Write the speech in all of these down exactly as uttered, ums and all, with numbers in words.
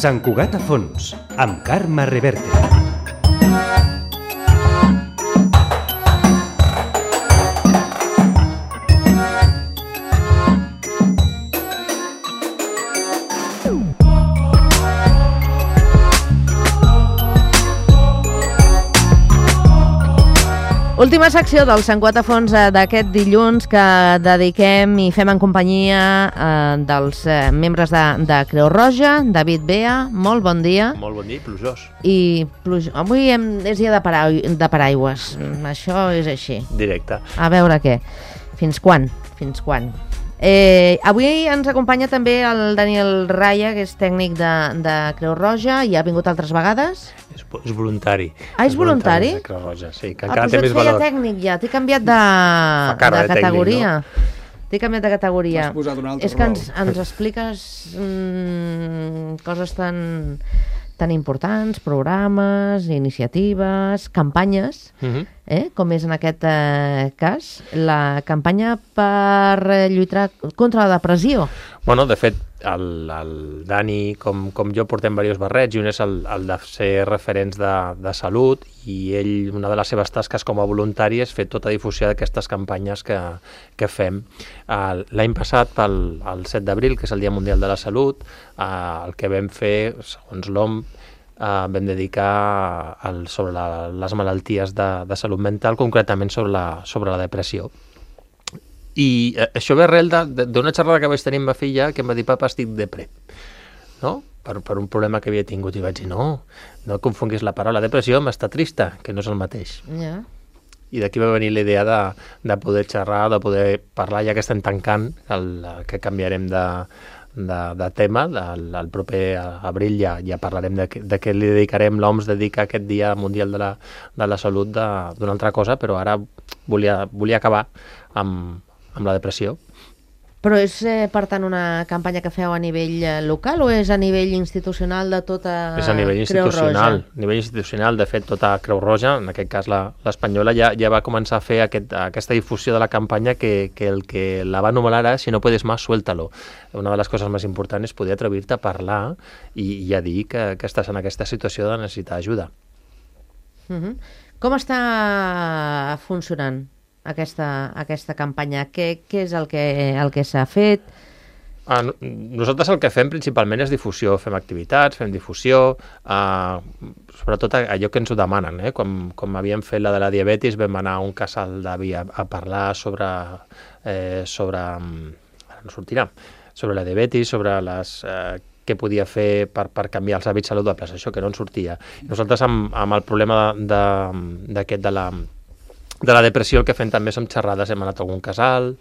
Sant Cugat a fons, amb Carme Reverte. Última secció del Sant Cugat a fons d'aquest dilluns que dediquem i fem en companyia eh, dels eh, membres de, de Creu Roja. David Bea, molt bon dia. Molt bon dia i plujós. I pluj... avui hem... és dia de, para... de paraigües, això és així. Directe. A veure què. Fins quan? Fins quan? Eh, avui ens acompanya també el Daniel Raya, que és tècnic de, de Creu Roja i ha vingut altres vegades. És, és voluntari. Ah, és voluntari? De Creu Roja, sí, que Ah, encara doncs té jo més et feia valor. tècnic ja, t'he canviat de, cara de de categoria. tècnic, T'he canviat de categoria. M'has posat un altre És que rol. ens, ens expliques mm, coses tan, tan importants, programes, iniciatives, campanyes, Mhm. eh? com és en aquest eh, cas, la campanya per eh, lluitar contra la depressió. Bueno, de fet, el, el Dani, com, com jo, portem diversos barrets i un és el, el de ser referents de, de salut i ell, una de les seves tasques com a voluntari és fer tota difusió d'aquestes campanyes que, que fem. Uh, L'any passat, pel el set d'abril, que és el Dia Mundial de la Salut, uh, el que vam fer, segons l'O M S, Uh, vam dedicar al, sobre la, les malalties de, de salut mental, concretament sobre la, sobre la depressió. I uh, això ve arrel d'una xerrada que vaig tenir amb ma filla que em va dir, papa, estic depre, no? Per, per un problema que havia tingut. I vaig dir, no, no confonguis la paraula depressió amb estar trista, que no és el mateix. Ja. I d'aquí va venir la idea de, de poder xerrar, de poder parlar, ja que estem tancant, el, que canviarem de, de, de tema. El, el proper abril ja, ja parlarem de, de què li dedicarem. L'O M S dedica aquest Dia Mundial de la, de la Salut d'una altra cosa, però ara volia, volia acabar amb, amb la depressió. Però és, eh, per tant, una campanya que feu a nivell eh, local o és a nivell institucional de tota És a nivell Creu institucional. Roja? A nivell institucional, de fet, tota Creu Roja, en aquest cas la- l'espanyola, ja, ja va començar a fer aquest, aquesta difusió de la campanya que, que el que la va anomenar era si no puedes más, suéltalo. Una de les coses més importants és poder atrevir-te a parlar i, i a dir que, que estàs en aquesta situació de necessitar ajuda. Uh-huh. Com està funcionant aquesta, aquesta campanya? Què, què és el que, el que s'ha fet? Ah, no- nosaltres el que fem principalment és difusió, fem activitats, fem difusió, eh, sobretot allò que ens ho demanen. Eh? Com, com havíem fet la de la diabetis, vam anar a un casal d'avi a, a parlar sobre, eh, sobre, ara no sortirà, sobre la diabetis, sobre les, eh, què podia fer per, per canviar els hàbits saludables, això que no en sortia. Nosaltres amb, amb el problema de, d'aquest de la de la depressió el que fem també són xerrades, hem anat a algun casal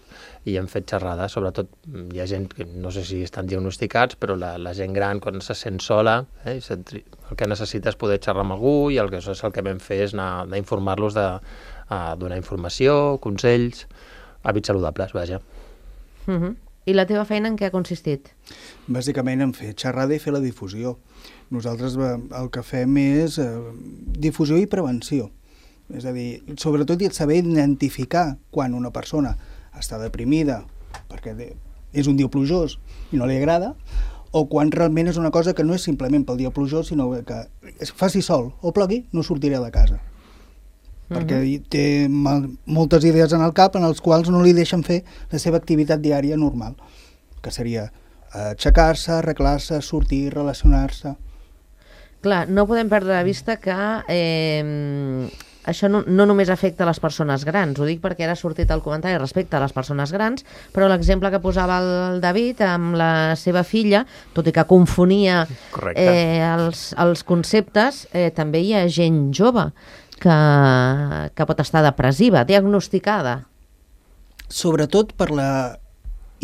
i hem fet xerrades, sobretot hi ha gent que no sé si estan diagnosticats, però la, la gent gran quan se sent sola, eh, el que necessita és poder xerrar amb algú i el que, és el que vam fer és anar, anar a informar-los, de, a donar informació, consells, hàbits saludables, vaja. Uh-huh. I la teva feina en què ha consistit? Bàsicament en fer xerrada i fer la difusió. Nosaltres eh, el que fem és eh, difusió i prevenció. És a dir, sobretot saber identificar quan una persona està deprimida perquè és un dia plujós i no li agrada, o quan realment és una cosa que no és simplement pel dia plujós, sinó que es faci sol o plogui, no sortiré de casa. Uh-huh. Perquè té mal, moltes idees en el cap en els quals no li deixen fer la seva activitat diària normal, que seria aixecar-se, arreglar-se, sortir, relacionar-se. Clar, no podem perdre de vista que eh, això no, no només afecta les persones grans, ho dic perquè ara ha sortit el comentari respecte a les persones grans, però l'exemple que posava el David amb la seva filla, tot i que confonia eh, els, els conceptes, eh, també hi ha gent jove que, que pot estar depressiva, diagnosticada. Sobretot per la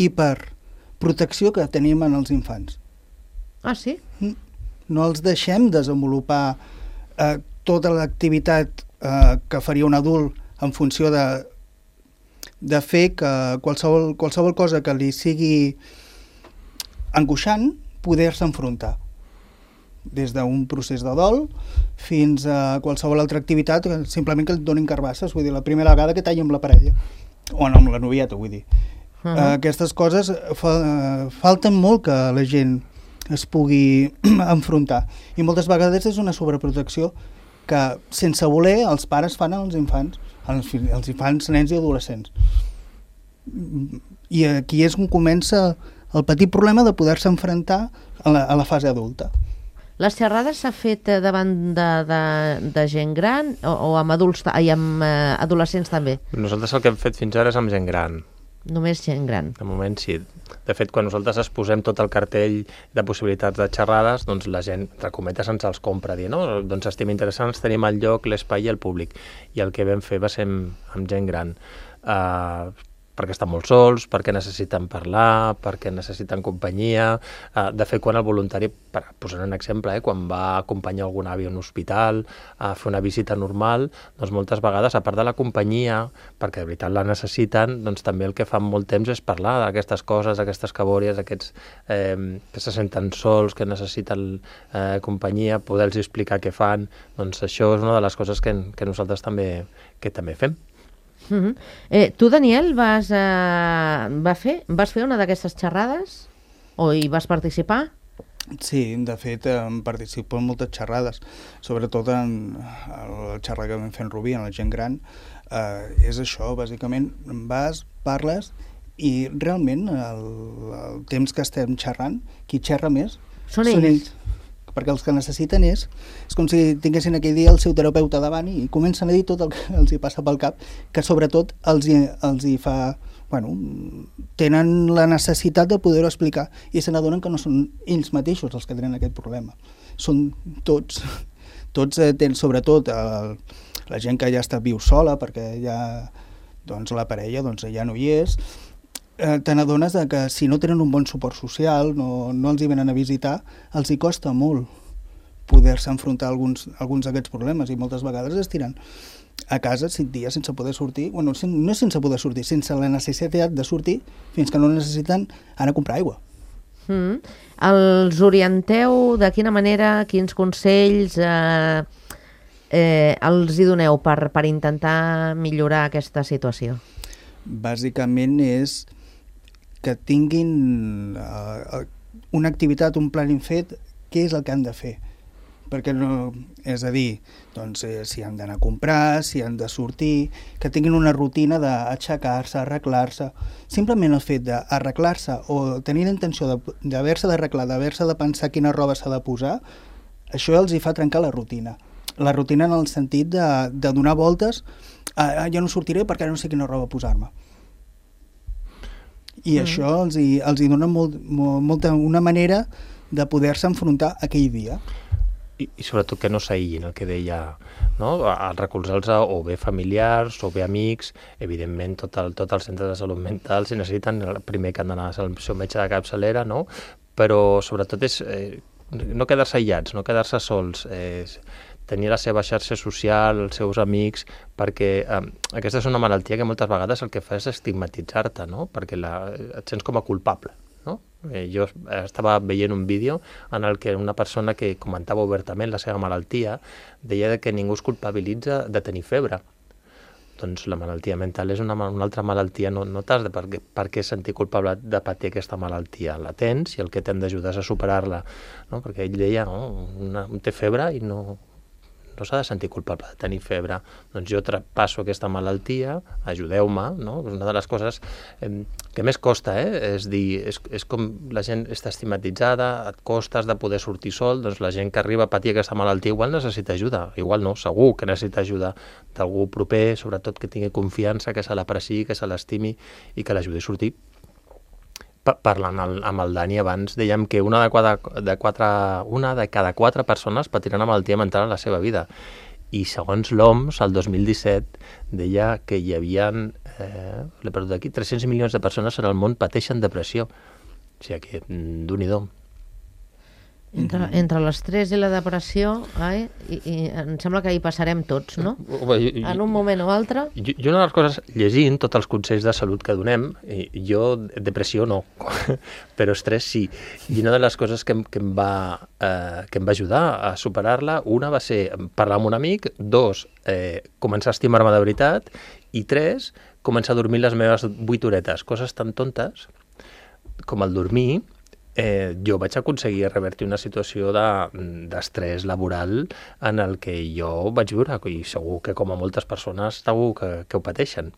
hiperprotecció que tenim en els infants. Ah, sí? No els deixem desenvolupar eh, tota l'activitat eh, que faria un adult en funció de, de fer que qualsevol, qualsevol cosa que li sigui angoixant, poder-se enfrontar. Des d'un procés de dol fins a qualsevol altra activitat, simplement que et donin carbasses, vull dir, la primera vegada que talli amb la parella, o no, amb la novieta, vull dir. Uh-huh. Aquestes coses fa, falten molt que la gent es pugui enfrontar. I moltes vegades és una sobreprotecció que, sense voler, els pares fan als infants, als, als infants, nens i adolescents. I aquí és on comença el petit problema de poder-se enfrontar a la, a la fase adulta. Les xerrades s'ha fet davant de, de, de gent gran o, o amb adults i amb eh, adolescents també? Nosaltres el que hem fet fins ara és amb gent gran. Només gent gran? De moment sí. De fet, quan nosaltres exposem tot el cartell de possibilitats de xerrades, doncs la gent, entre cometes, ens els compra, dir, no? Doncs estem interessants, tenim el lloc, l'espai i el públic. I el que vam fer va ser amb, amb gent gran. Uh, perquè estan molt sols, perquè necessiten parlar, perquè necessiten companyia. Uh, de fet, quan el voluntari, per posar un exemple, eh, quan va acompanyar algun avi a un hospital a fer una visita normal, doncs moltes vegades, a part de la companyia, perquè de veritat la necessiten, doncs també el que fan molt temps és parlar d'aquestes coses, d'aquestes cabòries, aquests eh, que se senten sols, que necessiten eh, companyia, poder-los explicar què fan. Doncs això és una de les coses que, que nosaltres també, que també fem. Uh-huh. eh, tu, Daniel, vas, uh, va fer, vas fer una d'aquestes xerrades? O hi vas participar? Sí, de fet, em participo en moltes xerrades, sobretot en el xerrar que vam fer en Rubí, en la gent gran. Eh, és això, bàsicament, vas, parles, i realment el, el temps que estem xerrant, qui xerra més són ells. Són ells. Perquè els que necessiten és, és com si tinguessin aquell dia el seu terapeuta davant i comencen a dir tot el que els hi passa pel cap, que sobretot els hi, els hi fa... Bueno, tenen la necessitat de poder-ho explicar i se n'adonen que no són ells mateixos els que tenen aquest problema. Són tots, tots eh, tenen, sobretot el, la gent que ja està viu sola perquè ja, doncs, la parella doncs, ja no hi és, eh, te n'adones que si no tenen un bon suport social, no, no els hi venen a visitar, els hi costa molt poder-se enfrontar a alguns, alguns d'aquests problemes i moltes vegades es tiren a casa cinc dies sense poder sortir, bueno, no sense poder sortir, sense la necessitat de sortir fins que no necessiten anar a comprar aigua. Mm. Els orienteu de quina manera, quins consells eh, eh, els hi doneu per, per intentar millorar aquesta situació? Bàsicament és que tinguin uh, una activitat, un plan fet, què és el que han de fer. Perquè no, és a dir, doncs, eh, si han d'anar a comprar, si han de sortir, que tinguin una rutina d'aixecar-se, arreglar-se. Simplement el fet d'arreglar-se o tenir la intenció d'haver-se d'arreglar, d'haver-se de pensar quina roba s'ha de posar, això els hi fa trencar la rutina. La rutina en el sentit de, de donar voltes, ah, jo no sortiré perquè no sé quina roba posar-me. I mm. això els hi, els hi dona molt, molt, molta, una manera de poder-se enfrontar aquell dia. I, i sobretot que no s'aïllin, el que deia, no? Al recolzar-los o bé familiars o bé amics, evidentment tot el, tot el centre de salut mental, si necessiten, el primer que han d'anar al seu metge de capçalera, no? Però sobretot és eh, no quedar-se aïllats, no quedar-se sols, eh, tenir la seva xarxa social, els seus amics, perquè eh, aquesta és una malaltia que moltes vegades el que fa és estigmatitzar-te, no? Perquè la, et sents com a culpable. No? Eh, jo estava veient un vídeo en el que una persona que comentava obertament la seva malaltia deia que ningú es culpabilitza de tenir febre. Doncs la malaltia mental és una, una altra malaltia, no, no t'has de per, per què sentir culpable de patir aquesta malaltia. La tens i el que t'hem d'ajudar és a superar-la. No? Perquè ell deia, no? Una, té febre i no... no s'ha de sentir culpable de tenir febre. Doncs jo traspasso aquesta malaltia, ajudeu-me, no? És una de les coses eh, que més costa, eh? És dir, és, és com la gent està estigmatitzada, et costes de poder sortir sol, doncs la gent que arriba a patir aquesta malaltia igual necessita ajuda, igual no, segur que necessita ajuda d'algú proper, sobretot que tingui confiança, que se l'apreciï, que se l'estimi i que l'ajudi a sortir. Parlant amb el Dani abans, dèiem que una de, quatre, de, quatre, una de cada quatre persones patiran una malaltia mental en la seva vida. I segons l'O M S, el dos mil disset, deia que hi havia, eh, l'he perdut aquí, tres-cents milions de persones en el món pateixen depressió. O sigui que, d'un-i-do. Entre, entre l'estrès i la depressió, eh, i, i em sembla que hi passarem tots, no? En un moment o altre. Jo, jo una de les coses, llegint tots els consells de salut que donem, jo depressió no, però estrès sí. I una de les coses que, que, em va, eh, que em va ajudar a superar-la, una va ser parlar amb un amic, dos, eh, començar a estimar-me de veritat, i tres, començar a dormir les meves vuit horetes, coses tan tontes com el dormir. eh, jo vaig aconseguir revertir una situació d'estrès de, laboral en el que jo vaig viure, i segur que com a moltes persones segur que, que ho pateixen.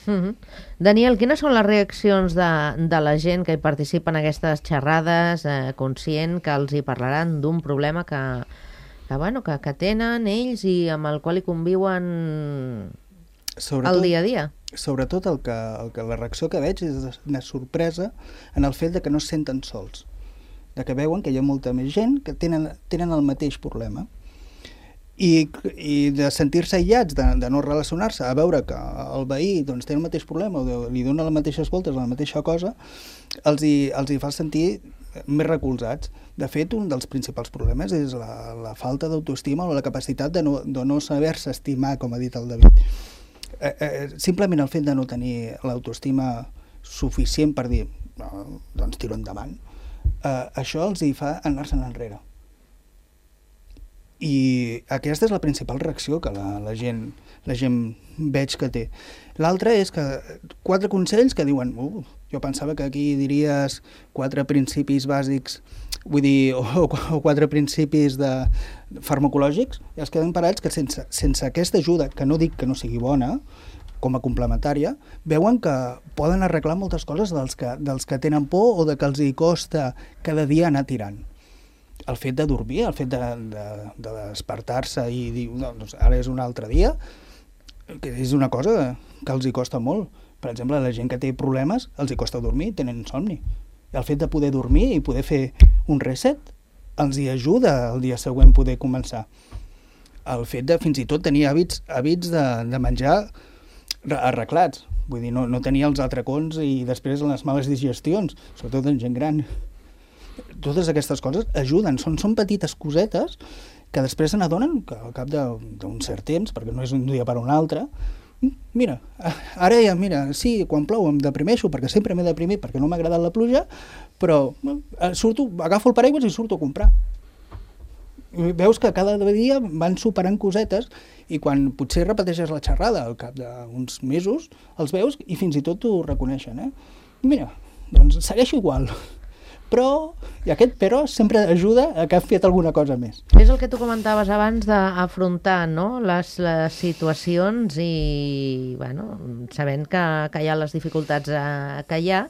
Mm-hmm. Daniel, quines són les reaccions de, de la gent que hi participa en aquestes xerrades, eh, conscient que els hi parlaran d'un problema que, que, bueno, que, que tenen ells i amb el qual hi conviuen sobretot, el dia a dia? Sobretot el que, el que la reacció que veig és una sorpresa en el fet de que no es senten sols, de que veuen que hi ha molta més gent que tenen, tenen el mateix problema. I, i de sentir-se aïllats, de, de no relacionar-se, a veure que el veí doncs, té el mateix problema o de, li dona les mateixes voltes a la mateixa cosa, els hi, els hi fa sentir més recolzats. De fet, un dels principals problemes és la, la falta d'autoestima o la capacitat de no, de no saber-se estimar, com ha dit el David. Eh, eh, simplement el fet de no tenir l'autoestima suficient per dir no, doncs tiro endavant, eh, això els hi fa anar-se'n enrere. I aquesta és la principal reacció que la, la, gent, la gent veig que té. L'altra és que quatre consells que diuen uh, jo pensava que aquí diries quatre principis bàsics, vull dir, o, o quatre principis de farmacològics, i es queden parats que sense, sense aquesta ajuda, que no dic que no sigui bona, com a complementària, veuen que poden arreglar moltes coses dels que, dels que tenen por o de que els hi costa cada dia anar tirant. El fet de dormir, el fet de, de, de despertar-se i dir, no, doncs ara és un altre dia, que és una cosa que els hi costa molt. Per exemple, la gent que té problemes els hi costa dormir, tenen insomni. I el fet de poder dormir i poder fer un reset els hi ajuda el dia següent poder començar. El fet de fins i tot tenir hàbits, hàbits de, de menjar arreglats, vull dir, no, no tenir els atracons i després les males digestions, sobretot en gent gran. Totes aquestes coses ajuden, són, són petites cosetes que després se n'adonen que al cap d'un cert temps, perquè no és un dia per un altre, mira, ara ja, mira, sí, quan plou em deprimeixo perquè sempre m'he deprimit perquè no m'ha agradat la pluja, però surto, agafo el paraigües i surto a comprar. I veus que cada dia van superant cosetes i quan potser repeteixes la xerrada al cap d'uns mesos, els veus i fins i tot t'ho reconeixen. Eh? Mira, doncs segueixo igual. Però, i aquest però sempre ajuda a que has fet alguna cosa més. És el que tu comentaves abans d'afrontar, no?, les, les situacions i, bueno, sabent que, que hi ha les dificultats eh, que hi ha,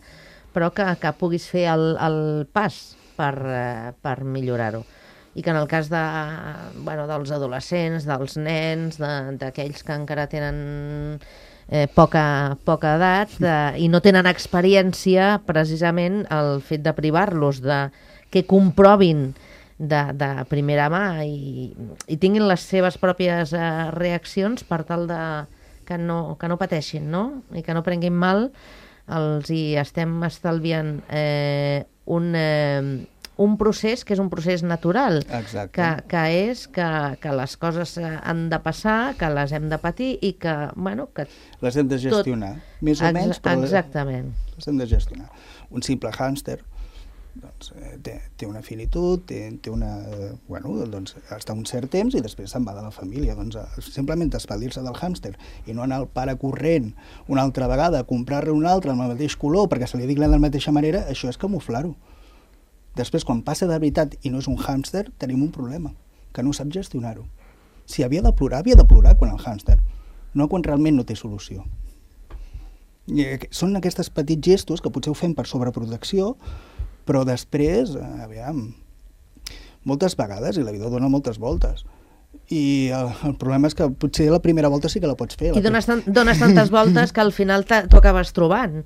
però que, que puguis fer el, el pas per, eh, per millorar-ho. I que en el cas de, bueno, dels adolescents, dels nens, d'aquells que encara tenen Eh, poca, poca edat de, i no tenen experiència, precisament el fet de privar-los, de que comprovin de, de primera mà i, i tinguin les seves pròpies eh, reaccions per tal de que no, que no pateixin, no? I que no prenguin mal, els hi estem estalviant eh, un... Eh, un procés que és un procés natural, que, que és que, que les coses han de passar, que les hem de patir i que, bueno... que les hem de gestionar, tot... més o Ex menys, però exactament. Les, les hem de gestionar. Un simple hàmster doncs, té, té una finitud, té, té una... Bueno, doncs està un cert temps i després se'n va de la família. Doncs simplement espadir-se del hàmster i no anar al pare corrent una altra vegada a comprar-ne un altre amb el mateix color perquè se li digui de la mateixa manera, això és camuflar-ho. Després, quan passa de veritat i no és un hàmster, tenim un problema, que no sap gestionar-ho. Si havia de plorar, havia de plorar quan el hàmster, no quan realment no té solució. I són aquests petits gestos que potser ho fem per sobreprotecció, però després, aviam, moltes vegades, i la vida dona moltes voltes, i el, el problema és que potser la primera volta sí que la pots fer. I dones, tan, dones tantes voltes que al final t'ho acabes trobant.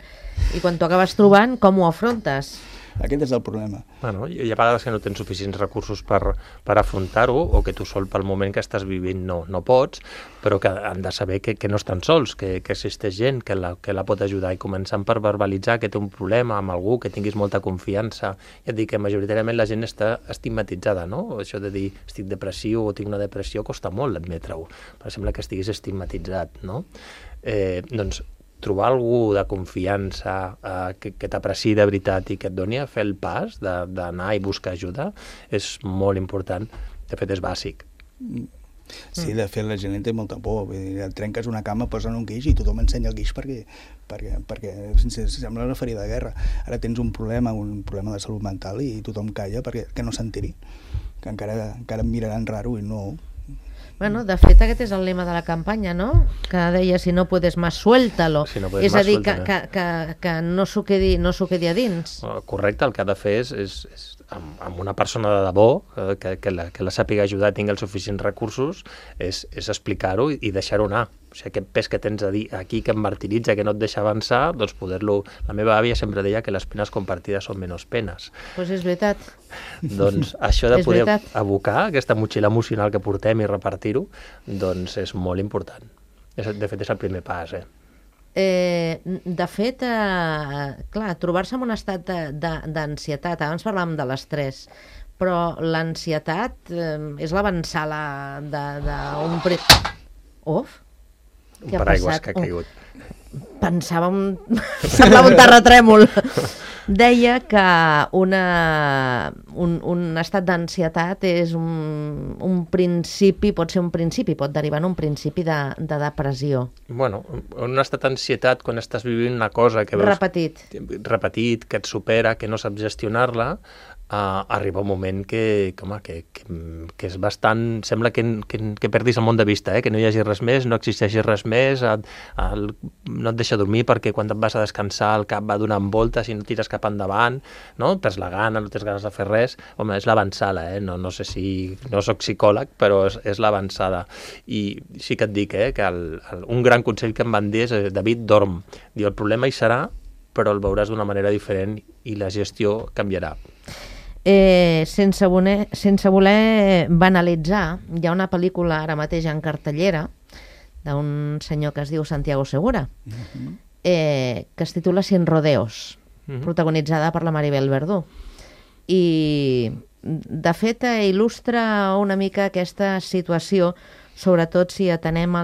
I quan t'ho acabes trobant, com ho afrontes? Aquest és el problema. Bueno, hi ha vegades que no tens suficients recursos per, per afrontar-ho o que tu sol pel moment que estàs vivint no, no pots, però que han de saber que, que no estan sols, que, que existeix gent que la, que la pot ajudar i començant per verbalitzar que té un problema amb algú, que tinguis molta confiança. Ja et dic que majoritàriament la gent està estigmatitzada, no? Això de dir estic depressiu o tinc una depressió costa molt admetre-ho, però sembla que estiguis estigmatitzat, no? Eh, doncs trobar algú de confiança eh, que, que t'apreciï de veritat i que et doni a fer el pas d'anar i buscar ajuda és molt important. De fet, és bàsic. Sí, de fet, la gent té molta por. Vull dir, et trenques una cama, posen un guix i tothom ensenya el guix perquè, perquè, perquè sembla una ferida de guerra. Ara tens un problema, un problema de salut mental i tothom calla perquè que no s'enteri, que encara, encara em miraran raro i no... Bueno, de fet, aquest és el lema de la campanya, no? Que deia, si no puedes más, suéltalo. Si no puedes és a más, dir, que, suéltalo. que, que, que no s'ho quedi, no s'ho quedi a dins. Correcte, el que ha de fer és, és, és amb, amb una persona de debò, eh, que, que, la, que la sàpiga ajudar, tingui els suficients recursos, és, és explicar-ho i, i deixar-ho anar. O sigui, aquest pes que tens a dir aquí, que em martiritza, que no et deixa avançar, doncs poder-lo... La meva àvia sempre deia que les penes compartides són menys penes. Doncs pues és veritat. Doncs això de És poder veritat. abocar aquesta motxilla emocional que portem i repartir-ho, doncs és molt important. És, de fet, és el primer pas, eh? Eh, de fet, eh, clar, trobar-se en un estat d'ansietat, abans parlàvem de l'estrès, però l'ansietat eh, és l'avançala d'un... Pre... Uf! Un paraigües que ha caigut. Pensava un... semblava un terratrèmol. Deia que una, un, un estat d'ansietat és un, un principi, pot ser un principi, pot derivar en un principi de, de depressió. Bueno, un estat d'ansietat quan estàs vivint una cosa que veus... Repetit. Repetit, que et supera, que no saps gestionar-la, uh, arriba un moment que, que, home, que, que, que és bastant... Sembla que, que, que perdis el món de vista, eh? Que no hi hagi res més, no existeixi res més, et, el, no et deixa dormir perquè quan et vas a descansar el cap va donant voltes i no tires cap endavant, no? Perds la gana, no tens ganes de fer res. Home, és l'avançada, eh? No, no sé si... No soc psicòleg, però és, és l'avançada. I sí que et dic, eh? Que el, el, un gran consell que em van dir és David, dorm. Diu, el problema hi serà, però el veuràs d'una manera diferent i la gestió canviarà. Eh, sense, voler, sense voler banalitzar, hi ha una pel·lícula ara mateix en cartellera d'un senyor que es diu Santiago Segura, uh-huh. eh, que es titula Sin rodeos, uh-huh. protagonitzada per la Maribel Verdú. I, de fet, il·lustra una mica aquesta situació, sobretot si atenem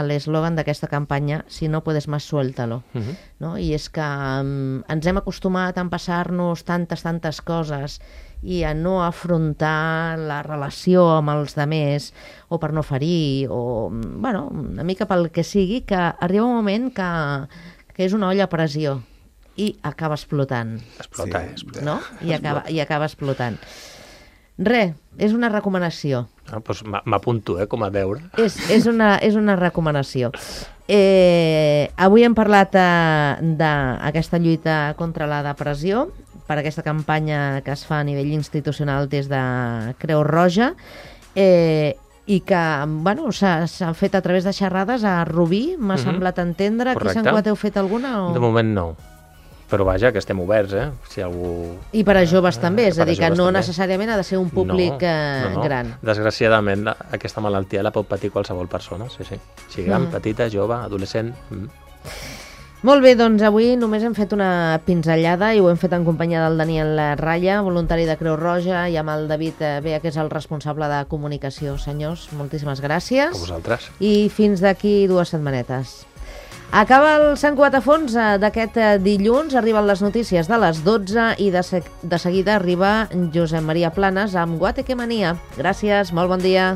l'eslògan d'aquesta campanya, si no puedes más, suéltalo. Uh-huh. No? I és que um, ens hem acostumat a empassar-nos tantes, tantes coses i a no afrontar la relació amb els demés, o per no ferir, o bueno, una mica pel que sigui, que arriba un moment que, que és una olla a pressió i acaba explotant. Explota, sí. explota. No? I acaba, i acaba explotant. Res, és una recomanació. Ah, doncs m'apunto, eh, com a deure. És, és, una, és una recomanació. Eh, avui hem parlat eh, d'aquesta lluita contra la depressió, per aquesta campanya que es fa a nivell institucional des de Creu Roja, eh, i que bueno, s'han fet a través de xerrades a Rubí, m'ha mm-hmm. semblat entendre. Aquí a Sant Cugat heu fet alguna? O... De moment no. Però vaja, que estem oberts, eh? Si algú... I per a joves també, és a dir, que no també. necessàriament ha de ser un públic no, no, no. gran. Desgraciadament, la, aquesta malaltia la pot patir qualsevol persona, sí, sí. Si gran, mm. petita, jove, adolescent... Mm. Molt bé, doncs avui només hem fet una pinzellada i ho hem fet en companyia del Daniel Ralla, voluntari de Creu Roja, i amb el David Bea, que és el responsable de comunicació. Senyors, moltíssimes gràcies. A vosaltres. I fins d'aquí dues setmanetes. Acaba el Sant Cugat a fons d'aquest dilluns, arriben les notícies de les dotze i de, se de seguida arriba Josep Maria Planes amb Guateque Mania. Gràcies, molt bon dia.